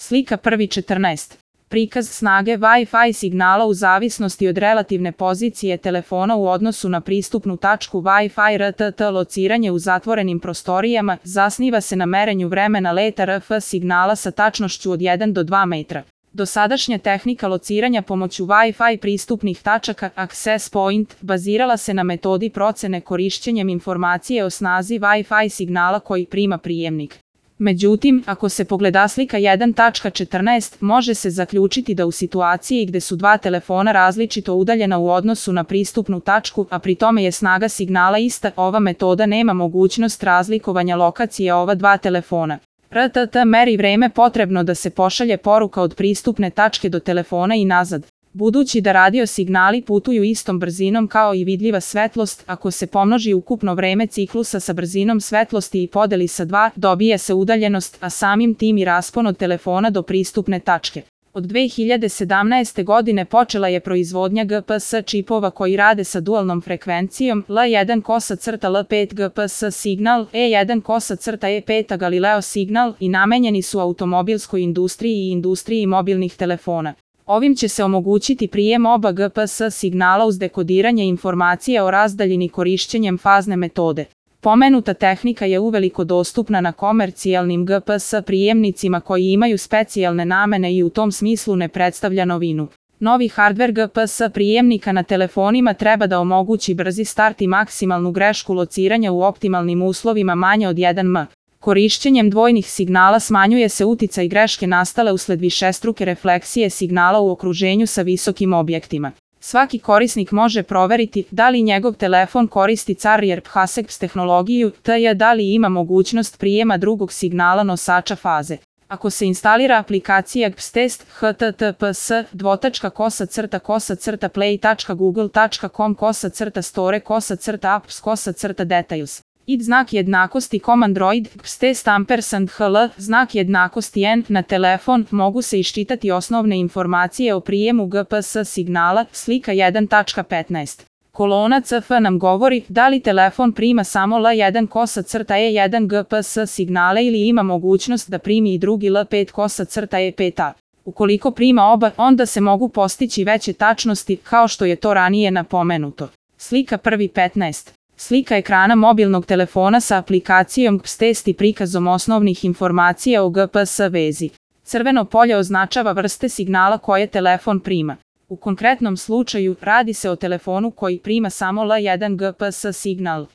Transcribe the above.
Slika prvi 14. Prikaz snage Wi-Fi signala u zavisnosti od relativne pozicije telefona u odnosu na pristupnu tačku Wi-Fi RTT. Lociranje u zatvorenim prostorijama zasniva se na merenju vremena leta RF signala sa tačnošću od 1 do 2 metra. Dosadašnja tehnika lociranja pomoću Wi-Fi pristupnih tačaka Access Point bazirala se na metodi procene korišćenjem informacije o snazi Wi-Fi signala koji prima prijemnik. Međutim, ako se pogleda slika 1.14, može se zaključiti da u situaciji gde su dva telefona različito udaljena u odnosu na pristupnu tačku, a pri tome je snaga signala ista, ova metoda nema mogućnost razlikovanja lokacije ova dva telefona. RTT meri vreme potrebno da se pošalje poruka od pristupne tačke do telefona i nazad. Budući da radio signali putuju istom brzinom kao i vidljiva svetlost, ako se pomnoži ukupno vreme ciklusa sa brzinom svetlosti i podeli sa 2, dobije se udaljenost, a samim tim i raspon od telefona do pristupne tačke. Od 2017. godine počela je proizvodnja GPS čipova koji rade sa dualnom frekvencijom L1-L5 GPS signal, E1-E5 Galileo signal i namenjeni su automobilskoj industriji i industriji mobilnih telefona. Ovim će se omogućiti prijem oba GPS signala uz dekodiranje informacija o razdaljini korišćenjem fazne metode. Pomenuta tehnika je uveliko dostupna na komercijalnim GPS prijemnicima koji imaju specijalne namene i u tom smislu ne predstavlja novinu. Novi hardver GPS prijemnika na telefonima treba da omogući brzi start i maksimalnu grešku lociranja u optimalnim uslovima manje od 1 m. Korišćenjem dvojnih signala smanjuje se uticaj greške nastale usled višestruke refleksije signala u okruženju sa visokim objektima. Svaki korisnik može proveriti da li njegov telefon koristi Carrier PHASEX tehnologiju, tj. da li ima mogućnost prijema drugog signala nosača faze. Ako se instalira aplikacija GPSTest https://play.co.play.google.com/store/apps/details. ID znak jednakosti Android GPSTest #HL znak jednakosti N na telefon mogu se iščitati osnovne informacije o prijemu GPS signala. Slika 1.15. Kolona CF nam govori da li telefon prima samo L1-E1 GPS signale ili ima mogućnost da primi i drugi L5-E5. Ukoliko prima oba, onda se mogu postići veće tačnosti, kao što je to ranije napomenuto. Slika prvi 15. Slika ekrana mobilnog telefona sa aplikacijom GPSTest i prikazom osnovnih informacija o GPS vezi. Crveno polje označava vrste signala koje telefon prima. U konkretnom slučaju radi se o telefonu koji prima samo L1 GPS signal.